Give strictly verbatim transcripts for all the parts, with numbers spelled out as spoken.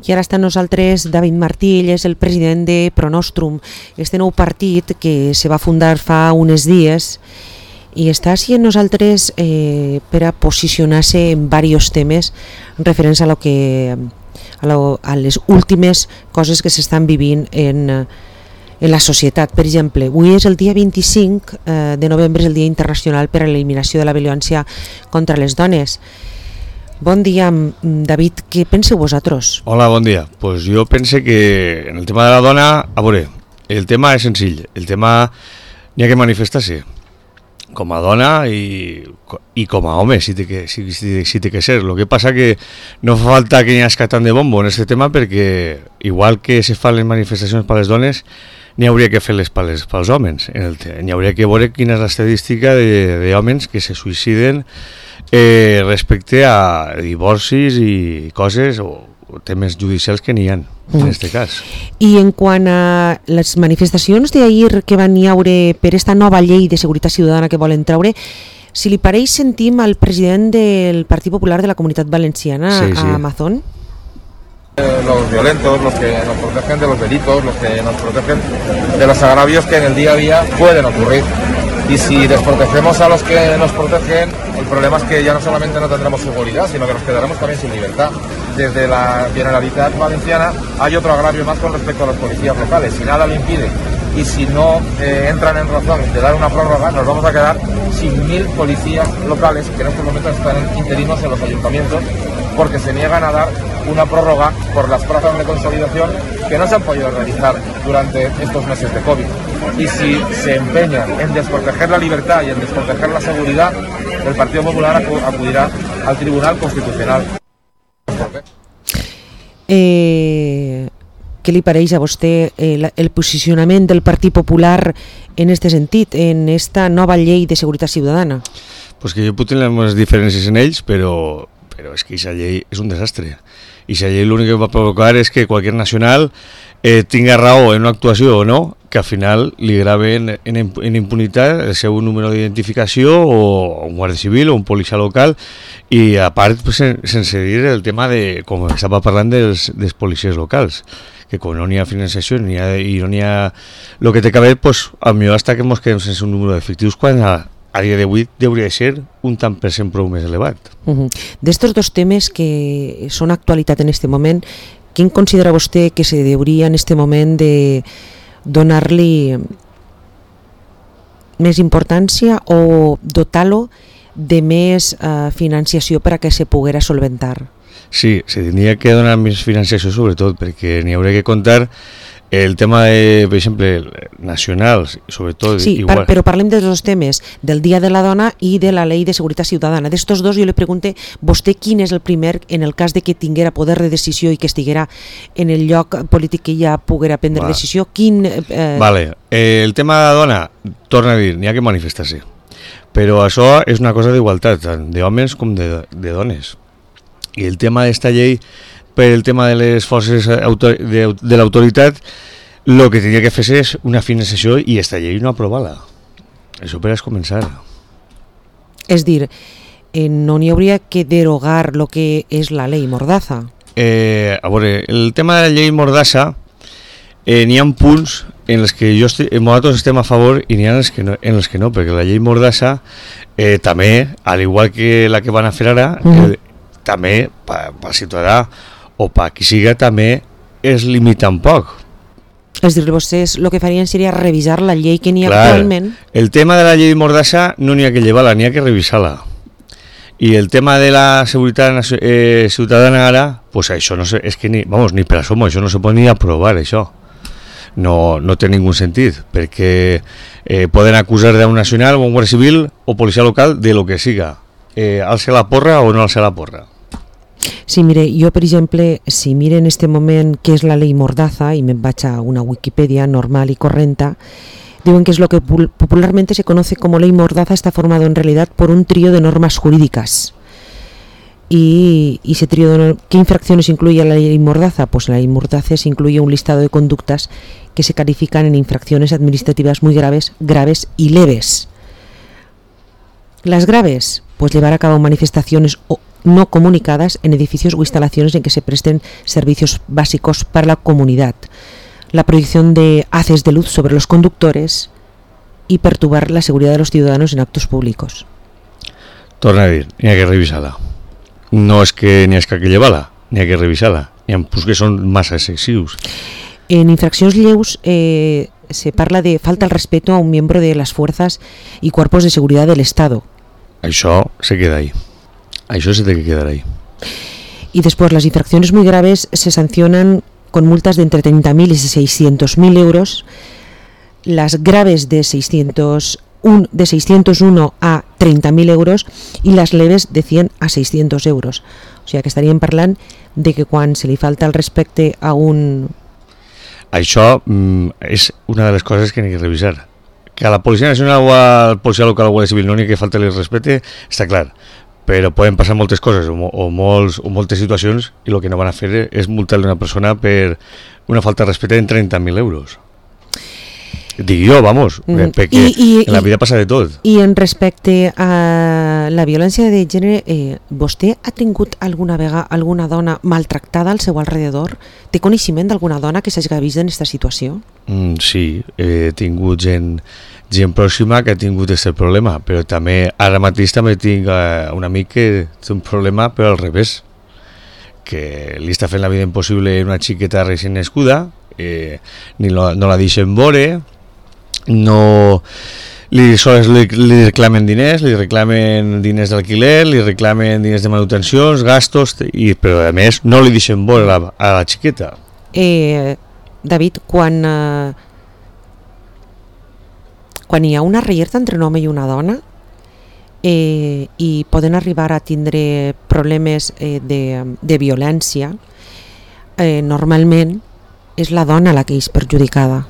I ara està amb nosaltres David Martí, ell és el president de Pronostrum, este nou partit que se va fundar fa uns dies i està així amb nosaltres eh, per a posicionar-se en diversos temes referents a, lo que, a, lo, a les últimes coses que s'estan vivint en, en la societat. Per exemple, avui és el dia vint-i-cinc eh, de novembre, és el Dia Internacional per a l'Eliminació de la Violència contra les Dones. Bon dia, David, què penseu vosaltres? Hola, bon dia. Pues jo pense que en el tema de la dona, a veure, el tema és senzill, el tema n'hi ha que manifestar-se com a dona i, i com a home, si té que, si, si, si té que ser. El que passa que no fa falta que n'hi hagi tant de bombo en aquest tema perquè igual que se fan les manifestacions per les dones, n'hi hauria que fer-les pels homes. N'hi hauria que veure quina és l'estadística d'homes que se suïciden Eh, respecte a divorcis i coses o, o temes judicials que n'hi ha en mm. aquest cas. I en quant a les manifestacions d'ahir que van hi haure per esta nova llei de seguretat ciutadana que volen traure, si li pareix sentim al president del Partit Popular de la Comunitat Valenciana, sí, sí. a Amazon. Los violentos, los que nos protegen de los delitos, los que nos protegen de los agravios que en el día a día pueden ocurrir. Y si desprotegemos a los que nos protegen, el problema es que ya no solamente no tendremos seguridad, sino que nos quedaremos también sin libertad. Desde la Generalitat Valenciana hay otro agravio más con respecto a los policías locales. Si nada lo impide y si no eh, entran en razón de dar una prórroga, nos vamos a quedar sin mil policías locales que en estos momentos están interinos en los ayuntamientos porque se niegan a dar una prórroga por las plazas de consolidación que no se han podido realizar durante estos meses de COVID. Y si se empeñan en desproteger la libertad y en desproteger la seguridad, el Partido Popular acudirá al Tribunal Constitucional. Eh, què li pareix a vostè el, el posicionament del Partit Popular en aquest sentit, en esta nova llei de seguretat ciutadana? Pues que jo puc tenir les diferències en ells, però, però és que aquesta llei és un desastre. I aquesta llei l'únic que va provocar és que qualsevol nacional eh, tinga raó en una actuació o no, que al final li graven en, en impunitat el seu número d'identificació o un guàrdia civil o un policia local i a part pues, sense dir el tema de, com estava parlant dels, dels policies locals, que com no n'hi ha financiació ni ha, i no n'hi ha el que té que haver, pues, a millor hasta que ens quedem sense un número d'efectius quan a, a dia d'avui hauria de ser un tant per cent prou més elevat. Uh-huh. D'estos dos temes que són actualitat en aquest moment, quin considera vostè que se hauria en aquest moment de donar-li més importància o dotar-lo de més uh, financiació per a que se poguera solventar? Sí, se tindria que donar més financiació sobretot perquè n'hi hauria que comptar el tema de, per exemple, nacionals, sobretot... Sí, igual. Però parlem dels dos temes, del Dia de la Dona i de la Llei de Seguretat Ciutadana. D'estos dos jo li pregunto, vostè quin és el primer, en el cas de que tinguera poder de decisió i que estiguera en el lloc polític que ja poguera prendre Va. decisió, quin... Eh... Vale, eh, el tema de la dona, torna a dir, n'hi ha que manifestar-se, però això és una cosa d'igualtat, tant d'homes com de, de dones. I el tema d'esta llei, per el tema de les forces de, de l'autoritat, el que tenia que fer és una financiació i aquesta llei no aprovar-la. Això per a començar. És dir, eh, no n'hi hauria que derogar el que és la llei Mordaza? Eh, a veure, el tema de la llei Mordaza, eh, n'hi ha punts en els que jo estic, nosaltres estem a favor i n'hi ha en els que no, en els que no perquè la llei Mordaza eh, també, al igual que la que van a fer ara, mm. eh, també per al ciutadà o per qui siga també es limita un poc. És dir, vostès el que farien seria revisar la llei que n'hi ha Clar, actualment. El tema de la llei Mordaza no n'hi ha que llevar-la, n'hi ha que revisar-la. I el tema de la seguretat eh, ciutadana ara, pues això no sé, és que ni, vamos, ni per asomo, això no se pot ni aprovar, això. No, no té ningú sentit, perquè eh, poden acusar d'un nacional o un guàrdia civil o policia local de lo que siga. Eh, alça la porra o no alça la porra. Sí, mire, jo per exemple, si mire en este moment què és la llei Mordaza i me'n vaig a una Wikipedia normal y correcta, diuen que es lo que popularmente se conoce como ley Mordaza está formado en realidad por un trío de normas jurídicas. Y, y ese trío de, ¿qué infracciones incluye la ley Mordaza? Pues la ley Mordaza se incluye un listado de conductas que se califican en infracciones administrativas muy graves, graves y leves. Las graves, pues llevar a cabo manifestaciones o no comunicadas en edificios o instalaciones en que se presten servicios básicos para la comunidad, la proyección de haces de luz sobre los conductores y perturbar la seguridad de los ciudadanos en actos públicos. Torna a dir, n'hi ha que revisar-la. No és que n'hi ha que llevar-la, n'hi ha que revisar-la. N'hi ha pues que són massa excessius. En infraccions lleus eh, se parla de falta al respeto a un miembro de las fuerzas y cuerpos de seguridad del Estado. Això se queda ahí. Això se té que quedar ahí. Y después las infracciones muy graves se sancionan con multas de entre treinta mil y seiscientos mil euros, las graves de seiscientos uno, de seiscientos uno a treinta mil euros y las leves de cien a seiscientos euros. O sigui que estaríem parlant de que quan se li falta el respecte a un... Això mm, és una de les coses que n'hi ha que revisar. Que a la Policia Nacional o al Policia Local o Guàrdia Civil no n'hi ha que falta el respecte, està clar. Però poden passar moltes coses o, o, molts, o moltes situacions i el que no van a fer és multar una persona per una falta de respecte en trenta mil euros. Dic jo, vamos, mm. perquè I, i, en la vida passa de tot. I en respecte a la violència de gènere, eh, vostè ha tingut alguna vegada alguna dona maltractada al seu alrededor? Té coneixement d'alguna dona que s'hagi vist en aquesta situació? Mm, sí, he tingut gent, gent pròxima que ha tingut aquest problema, però també ara mateix també tinc eh, un amic que té un problema però al revés, que li està fent la vida impossible a una xiqueta recent nascuda, eh, ni lo, no la deixen veure, no li, sols li, li reclamen diners, li reclamen diners d'alquiler, li reclamen diners de manutencions, gastos, i, però a més no li deixen veure a la, a la xiqueta. Eh, David, quan eh, quan hi ha una reierta entre un home i una dona eh, i poden arribar a tindre problemes eh, de, de violència, eh, normalment és la dona la que és perjudicada.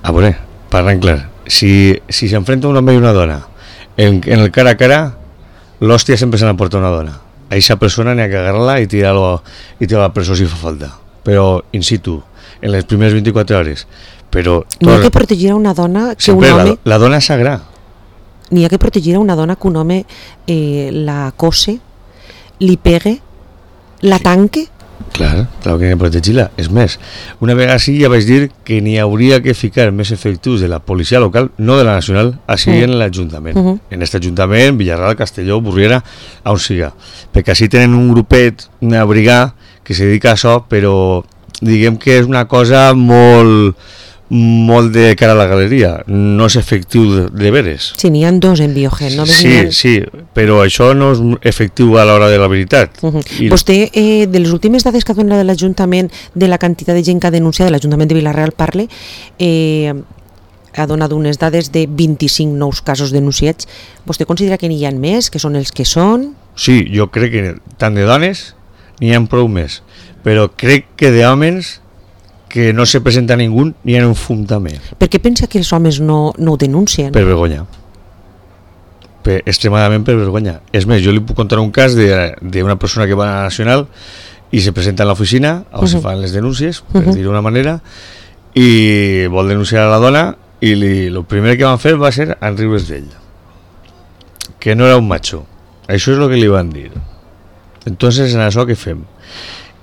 A veure, parlant clar, si, si s'enfrenta un home i una dona en, en el cara a cara, l'hòstia sempre se n'emporta una dona. A aquesta persona n'hi ha que agarrar-la i tirar-la i tirar a la presó si fa falta, però in situ, en les primeres vint-i-quatre hores. Però n'hi ha que protegir a una dona que sempre un home... La, la dona és sagrà. N'hi ha que protegir a una dona que un home eh, la cose, li pegue, la tanque. Clar, clar que n'hi ha que protegir-la. És més, una vegada sí ja vaig dir que n'hi hauria que ficar més efectius de la policia local, no de la nacional, així mm. en l'Ajuntament. Uh -huh. En aquest Ajuntament, Villarreal, Castelló, Burriera, on siga. Perquè així tenen un grupet, una brigada, que se dedica a això, però diguem que és una cosa molt... molt de cara a la galeria, no és efectiu de, de veres. Sí, n'hi ha dos en Biogen. No? Sí, ha... sí, però això no és efectiu a l'hora de la veritat. Uh -huh. I... Vostè, eh, de les últimes dades que ha donat de l'Ajuntament, de la quantitat de gent que ha denunciat, de l'Ajuntament de Vilareal parle, eh, ha donat unes dades de vint-i-cinc nous casos denunciats. Vostè considera que n'hi ha més, que són els que són? Sí, jo crec que tant de dones n'hi ha prou més, però crec que d'homes que no se presenta ningú ni en un fum també. Per què pensa que els homes no, no ho denuncien? Per vergonya. Per, extremadament per vergonya. És més, jo li puc contar un cas d'una persona que va a la Nacional i se presenta en l'oficina on uh -huh. se fan les denúncies, per uh -huh. dir-ho d'una manera, i vol denunciar a la dona i el primer que van fer va ser enriure's d'ell. Que no era un macho. Això és el que li van dir. Entonces, en això què fem?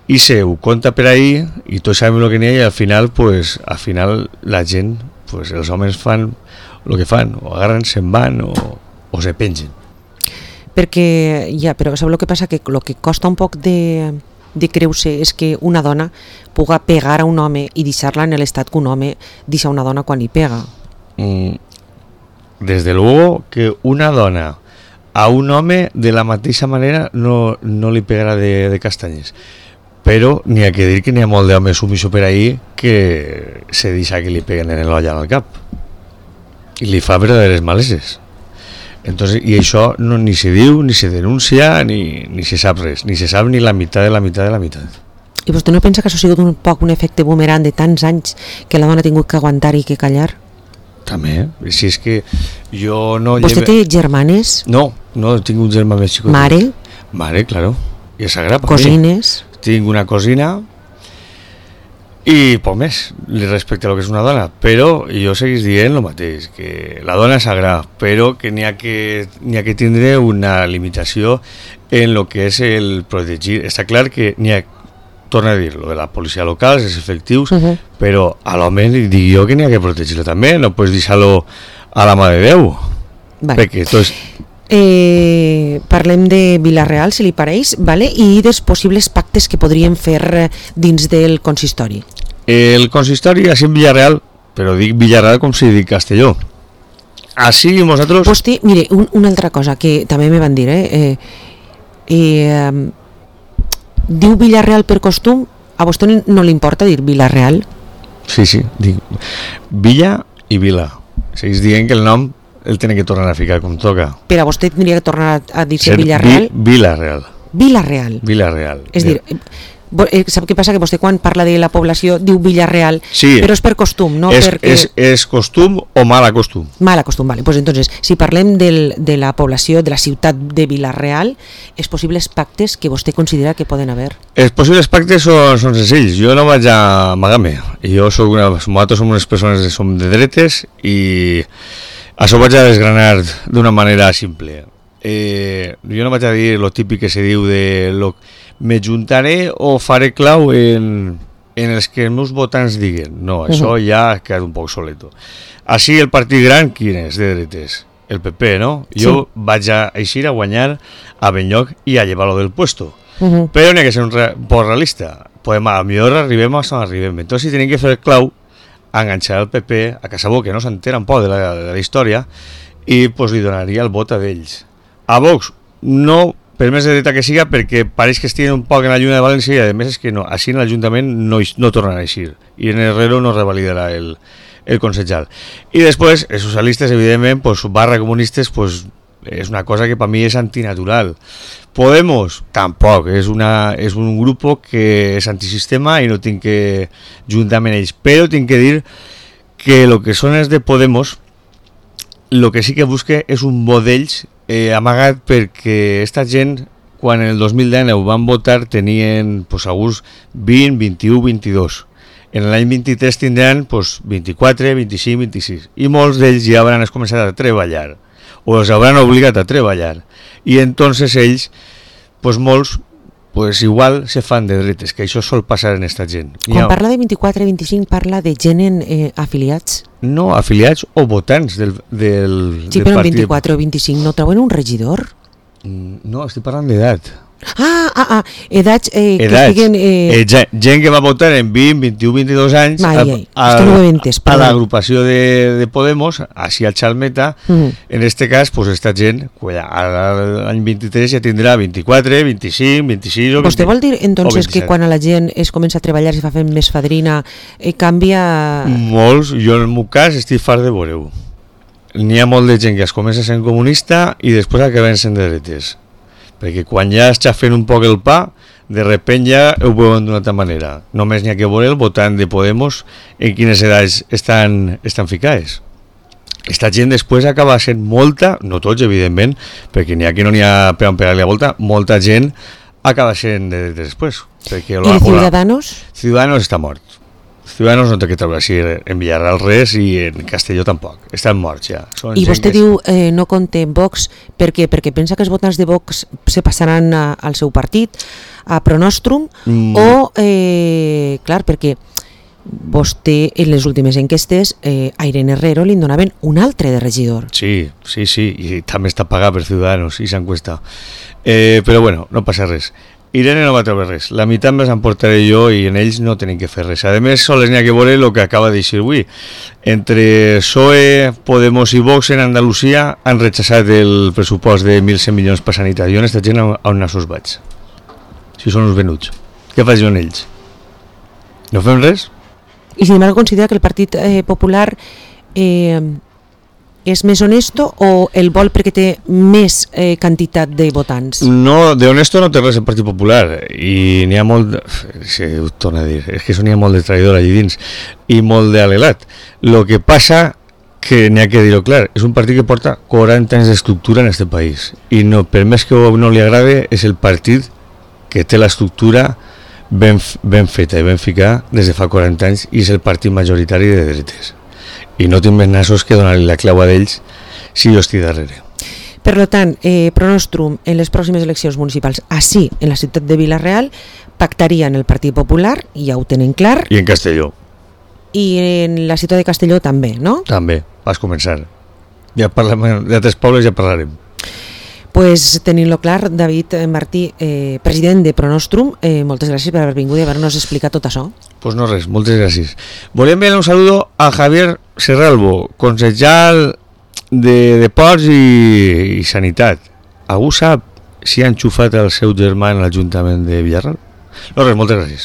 I se ho conta per ahí i tots sabem el que n'hi ha i al final, pues, al final la gent, pues, els homes fan el que fan, o agarren, se'n van o, o se pengen. Perquè, ja, però sabeu el que passa? Que el que costa un poc de, de creure és que una dona puga pegar a un home i deixar-la en l'estat que un home deixa una dona quan hi pega. Mm, desde luego que una dona a un home de la mateixa manera no, no li pegarà de, de castanyes. Però n'hi ha que dir que n'hi ha molt d'home sumiso per ahí que se deixa que li peguen en l'olla al cap i li fa verdaderes maleses. Entonces, i això no, ni se diu, ni se denuncia, ni, ni se sap res, ni se sap ni la meitat de la meitat de la meitat. I vostè no pensa que això ha sigut un poc un efecte boomerang de tants anys que la dona ha tingut que aguantar i que callar? També, si és que jo no... Vostè té germanes? No, no tinc un germà més xicot. Mare? Mare, claro, i és sagrada. Cosines? Tinc una cosina I poc més respecte a lo que és una dona, però jo seguís dient el mateix, que la dona és sagrada, però que n'hi ha que n'hi ha que tindre una limitació en lo que és el protegir. Està clar que n'hi ha, torna a dir, lo de la policia local, els efectius, uh-huh. però a l'home li dic jo que n'hi ha que protegir-lo també, no pots deixar-lo a la mà de Déu. Vale. Perquè tot és... Eh, parlem de Vila-real, si li pareix, vale? I dels possibles pactes que podríem fer dins del consistori. El consistori és en Vila-real, però dic Vila-real com si dic Castelló. Així nosaltres... Hosti, mire, un, una altra cosa que també me van dir, eh? eh, eh diu Vila-real per costum, a vostè no li importa dir Vila-real? Sí, sí, dic Villa i Vila. Seguís dient que el nom el tiene que tornar a ficar com toca. Però vostè tindria que tornar a dir-se Vila-real? Vi, Vila-real. Vila-real. Vila-real. És dir, eh, sap què passa? Que vostè quan parla de la població diu Vila-real, sí, però és per costum, no? És, perquè... és, és costum o mal costum? Mal costum, vale. Pues entonces, si parlem del, de la població, de la ciutat de Vila-real, els possibles pactes que vostè considera que poden haver? Els possibles pactes són, són senzills. Jo no vaig a amagar-me. Jo soc una, nosaltres som unes persones que som de dretes i això ho vaig a desgranar d'una manera simple. Eh, jo no vaig a dir lo típic que se diu de lo, me juntaré o faré clau en, en els que els meus votants diguen. No, uh-huh. Això ja ha quedat un poc soleto. Així el partit gran, quin és de dretes? El P P, no? Jo sí. Vaig a eixir a guanyar a Benlloc i a llevar-lo del puesto. Uh-huh. Però n'hi ha que ser un, re, un poc realista. Podem, a millor arribem a on arribem. Entonces, si tenim que fer clau, enganxar el P P a Casabó, que no s'entera un poc de la, de la història, i pues, li donaria el vot a d'ells. A Vox, no, per més de dreta que siga, perquè pareix que estiguen un poc en la lluna de València i a més és que no, així en l'Ajuntament no, no tornarà a eixir i en Herrero no revalidarà el, el consellal. I després, els socialistes, evidentment, pues, barra comunistes, pues, és una cosa que per mi és antinatural. Podemos, tampoc, és, una, és un grup que és antisistema i no tinc que juntar amb ells, però tinc que dir que el que són els de Podemos, el que sí que busque és un vot d'ells eh, amagat, perquè esta gent, quan en el dos mil dinou van votar, tenien pues, alguns vint, vint-i-u, vint-i-dos. En l'any vint-i-tres tindran pues, vint-i-quatre, vint-i-cinc, vint-i-sis. I molts d'ells ja hauran començat a treballar, o els hauran obligat a treballar. I entonces ells, pues molts, pues igual se fan de dretes, que això sol passar en esta gent. Quan ha... parla de vint-i-quatre vint-i-cinc, parla de gent en, eh, afiliats? No, afiliats o votants del, del, sí, del però en vint-i-quatre o vint-i-cinc no treuen un regidor? No, estic parlant d'edat. Ah, ah, ah, edats, eh, edats. Que estiguen... Eh... Eh, gent, gent que va votar en vint, vint-i-u, vint-i-dos anys ai, ai, a, a, no entes, a l'agrupació de, de Podemos, així al Chalmeta, uh-huh. En este cas, pues, esta gent, l'any vint-i-tres ja tindrà vint-i-quatre, vint-i-cinc, vint-i-sis o vint-i-set. Vostè vol dir, entonces, que quan a la gent es comença a treballar, es fa fent més fadrina, eh, canvia... Molts, jo en el meu cas estic fart de veure-ho. N'hi ha molt de gent que es comença sent comunista i després acaben sent de dretes. Perquè quan ja està fent un poc el pa, de repent ja ho veuen d'una altra manera. Només n'hi ha que veure el votant de Podemos en quines edats estan, estan ficades. Esta gent després acaba sent molta, no tots evidentment, perquè n'hi ha que no n'hi ha per pegar-li la volta, molta gent acaba sent de, de després. Perquè I la, de Ciudadanos? Ciudadanos està mort. Ciudadanos no té que treure així en Villarreal res i en Castelló tampoc, estan morts ja. Són I vostè diu eh, no compte Vox, per què? Perquè pensa que els votants de Vox se passaran a, al seu partit, a Pronostrum, mm. o, eh, clar, perquè vostè en les últimes enquestes eh, a Irene Herrero li donaven un altre de regidor. Sí, sí, sí, i també està pagat per Ciudadanos i s'encuesta. Eh, però bueno, no passa res. Irene no va treure res, la meitat més emportaré jo i en ells no tenim que fer res. A més, sols n'hi ha que veure el que acaba d'eixir avui. Entre P S O E, Podemos i Vox en Andalusia han rechaçat el pressupost de mil cent milions per sanitat. Jo en aquesta gent on nassos vaig? Si són uns venuts. Què faig jo en ells? No fem res? I sin embargo considera que el Partit eh, Popular eh, és més honesto o el vol perquè té més eh, quantitat de votants? No, de honesto no té res el Partit Popular i n'hi ha molt, sí, ho torno a dir, és que n'hi ha molt de traïdor allí dins i molt d'alelat. Lo que passa que n'hi ha que dir-ho clar, és un partit que porta quaranta anys d'estructura en este país i no, per més que no li agrade és el partit que té l'estructura ben, ben feta i ben ficar des de fa quaranta anys i és el partit majoritari de dretes. I no tinc més nassos que donar-li la clau a d'ells si jo estic darrere. Per tant, eh, Pronostrum en les pròximes eleccions municipals, així, en la ciutat de Vila-real, pactaria en el Partit Popular, i ja ho tenen clar. I en Castelló. I en la ciutat de Castelló també, no? També, vas començar. Ja parlem d'altres pobles, ja parlarem. Pues tenint-lo clar, David Martí, eh, president de Pronostrum, eh, moltes gràcies per haver vingut i haver-nos explicat tot això. Pues no res, moltes gràcies. Volem enviar un saludo a Javier Serralbo, consejal de Deports i, i Sanitat. Algú sap si ha enxufat el seu germà en l'Ajuntament de Villarreal? No res, moltes gràcies.